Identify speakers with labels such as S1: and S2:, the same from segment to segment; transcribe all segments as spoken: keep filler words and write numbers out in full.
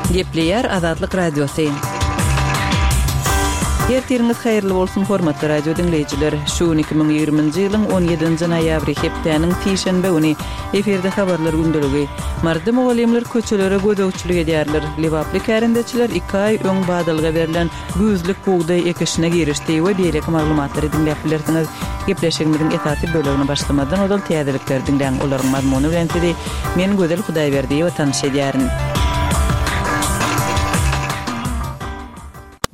S1: Gepleýär Azatlyk Radiosy. Ertiriňiz haýyrly bolsun, hormatly radio diňleýjiler. Şu gün iki müň ýigriminji ýylyň on ýedinji noýabry, hepdäniň sişenbe güni. Efirde habarlar gündeligi. Maryda mugallymlar köçelere gözegçilik edýärler. Lebaply kärendeçiler iki aý öň badalga berlen güýzlük bugdaý ekişine girişdi we beýleki maglumatlary diňläp bilersiňiz. Gepleşigimiziň esasy bölegini başlamazdan ozal täzelikleri diňläň. Olaryň mazmuny bilen sizi men Gözel Hudaýberdiýewa tanyş edýärin.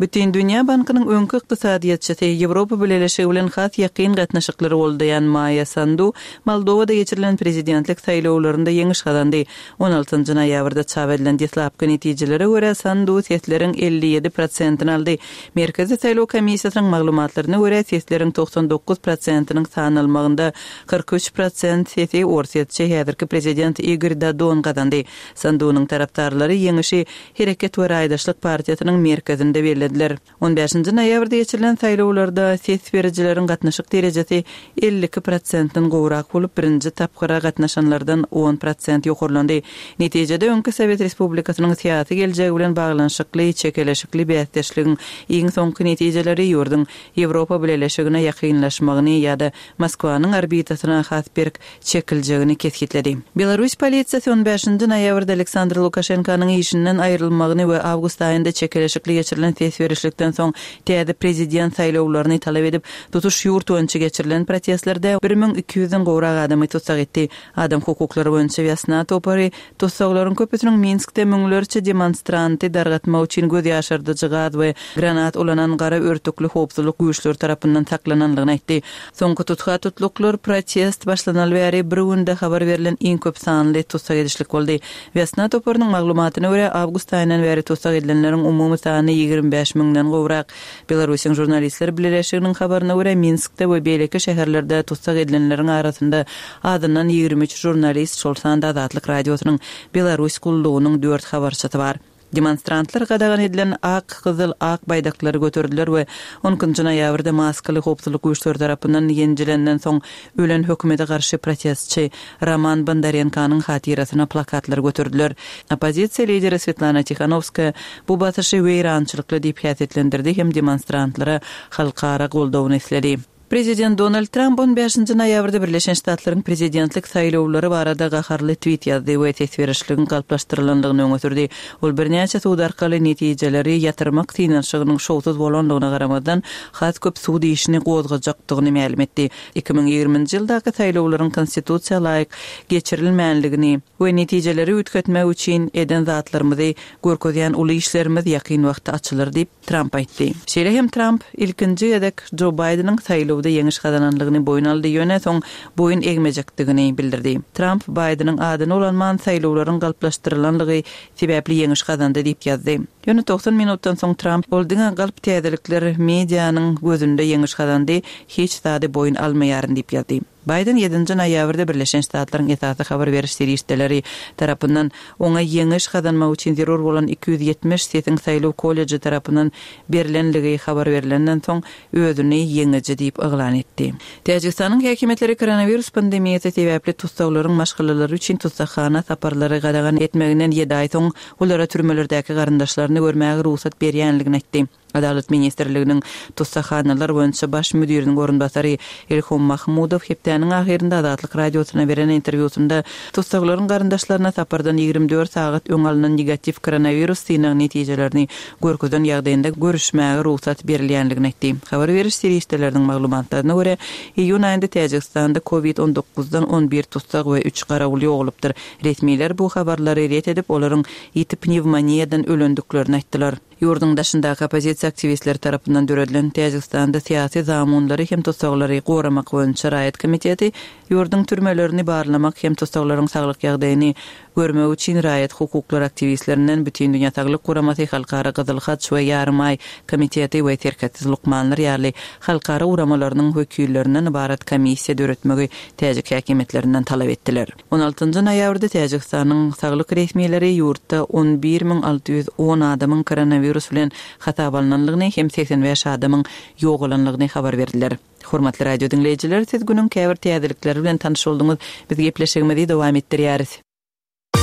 S1: Bütindünýä bankynyň öňki ykdysadyýetçisi, Ýewropa Bileleşigi bilen has ýakyn gatnaşyklary goldaýan Maýa Sandu Moldowada geçirilen prezidentlik saýlawlarynda ýeňiş gazandy. On altynjy noýabrda çap edilen deslapky netijelere görä, Sandu sesleriň elli ýedi prosentini aldy. Merkezi saýlaw komissiýasynyň maglumatlaryna görä, sesleriň togsan dokuz prosentiniň sanalmagynda kyrk üç prosent sesi orsýetçi häzirki prezident Igor Dodon gazandy. Sandunyň tarapdarlary ýeňişi Hereket we raýdaşlyk partiýasynyň merkezinde bellediler. On bäşinji noýabrda geçirilen saýlawlarda ses berijileriň gatnaşyk derejesi elli iki prosentden gowrak bolup, birinji tapgyra gatnaşanlardan on prosent ýokarlandy. Netijede, öňki Sowet Respublikasynyň syýasy geljegi bilen baglanyşykly çekeleşikli bäsdeşligiň iň soňky netijeleri ýurduň Ýewropa Bileleşigine ýakynlaşmagyny ýa-da Moskwanyň orbitasyna has berk çekiljegini kesgitledi. Belarus polisiýasy on bäşinji noýabrda Aleksandr Lukaşenkanyň işinden aýrylmagyny we awgust aýynda çekeleşikli geçirilen ses berişlikden soň täze prezident saýlawlaryny talap edip, tutuş ýurt boýunça geçirilen protestlerde bir müň iki ýüzden gowrak adamy tussag etdi. Adam hukuklary boýunça Wýasna topary tussaglaryň köpüsiniň Minskde müňlerçe demonstranty dargatmak üçin göz ýaşardyjy gaz we granat ulanan gara örtükli howpsuzlyk güýçleri tarapyndan saklanandygyny aýtdy. Soňky tutha-tutluklar protest başlanaly bäri bir günde habar berlen iň köp sanly tussag edişlik boldy. Wýasna toparynyň maglumatyna görä, awgust aýyndan bäri tussag edilenleriň umumy sany ýigrimi bäş müňden gowrak. Belarusyň žurnalistler bileleşiginiň habaryna görä, Minskde we beýleki şäherlerde tussag edilenleriň arasynda azyndan ýigrimi üç žurnalist, şol sanda Azatlyk Radiosynyň Belarus gullugynyň dört habarçysy bar. Demonstrantlar gadagan edilen ak, gyzyl, ak baýdaklary göterdiler we on ikinji noýabrda maskaly howpsuzlyk güýçleri tarapyndan ýenjilenden soň ölen hökümete garşy protestçi Roman Bondarenkonyň hatyrasyna plakatlary göterdiler. Oppozisiýa lideri Swetlana Tihanowskaýa bu basyşy weýrançylykly diýip häsiýetlendirdi hem demonstrantlara halkara goldawyny isledi. Prezident Donald Tramp on bäşinji noýabrda Birleşen Ştatlaryň prezidentlik saýlawlary barada gaharly tweet ýazdy we ses berişligiň galplaşdyrylandygyny öňe sürdi. Ol birnäçe sud arkaly netijeleri ýatyrmak synanyşygynyň şowsuz bolandygyna garamazdan, has köp sud işini gozgajakdygyny mälim etdi. Iki müň ýigriminji ýyldaky saýlawlaryň konstitusiýa laýyk geçirilmänligini we netijeleri üýtgetmek üçin eden zatlarymyzy görkezýän uly işlerimiz ýakyn wagtda açylar diýip, Tramp aýtdy. Şeýle hem Tramp ilkinji gezek Jo Baýdeniň saýlawda ýeňiş gazananlygyny boýun aldy, ýöne soň boýun egmejekdigini bildirdi. Tramp Baýdeniň adyny ulanman saýlawlaryň galplaşdyrylanlygy sebäpli ýeňiş gazandy diýip ýazdy. Ýöne togsan minutdan soň Tramp ol diňe galp täzelikler medianyň gözünde ýeňiş gazandy, hiç zady boýun almaýaryn diýip ýazdy. Baýden ýedinji noýabrda Birleşen Ştatlaryň esasy habar beriş serişdeleri tarapyndan oňa ýeňiş gazanmak üçin zerur bolan iki ýüz ýetmiş sesiň saýlaw kolleji tarapyndan berlenligi habar berlenden soň özüni ýeňiji diýip yglan etdi. Täjigistanyň häkimiýetleri koronawirus pandemiýasy sebäpli tussaglaryň maşgalalary üçin tussaghana saparlary gadagan etmeginden ýedi aý soň olara türmelerdäki garyndaşlaryny görmäge rugsat berýänligini aýtdy. Adalat ministrliginiň tussaghanalar boýunça baş müdiriniň orunbasary Ilhom Mahmudow hepdäniň ahyrynda Azatlyk Radiosyna beren interwýusynda tussaglaryň garyndaşlaryna sapardan ýigrimi dört sagat öň alnan negatiw koronawirus synag netijelerini görkezen ýagdaýynda görüşmäge rugsat berilýänligini aýtdy. Habar beriş serişdeleriniň maglumatlaryna görä, iýun aýynda Täjigistanda covid on dokuzdan on bir tussag we üç garawul ýogalypdyr. Resmiler bu habarlary ret edip, olaryň ýiti pnewmoniýadan ölendiklerini aýtdylar. Ýurduň daşyndaky oppozisiýa aktiwistleri tarapyndan döredilen Täjigistanda syýasy zamunlary hem tussaglary goramak boýunça raýat komiteti ýurduň türmelerini barlamak hem tussaglaryň saglyk ýagdaýyny görmek üçin raýat hukuklary aktiwistlerinden Bütindünýä saglyk guramasy, Halkara Gyzyl Haç we Ýarymaý komiteti we Serhetsiz lukmanlar ýaly halkara guramalarynyň wekillerinden ybarat komissiýa döretmegi täjik häkimiýetlerinden talap etdiler. On altynjy noýabrda Täjigistanyň saglyk resmileri ýurtda on bir müň alty ýüz on adamyň koronawirus bilen hasap alnanlygyny hem segsen bäş adamyň ýogalanlygyny habar berdiler. Hormatly radio diňleýjiler, siz günüň käbir täzelikleri bilen tanyş bolduňyz. Biz gepleşigimizi dowam etdirýäris.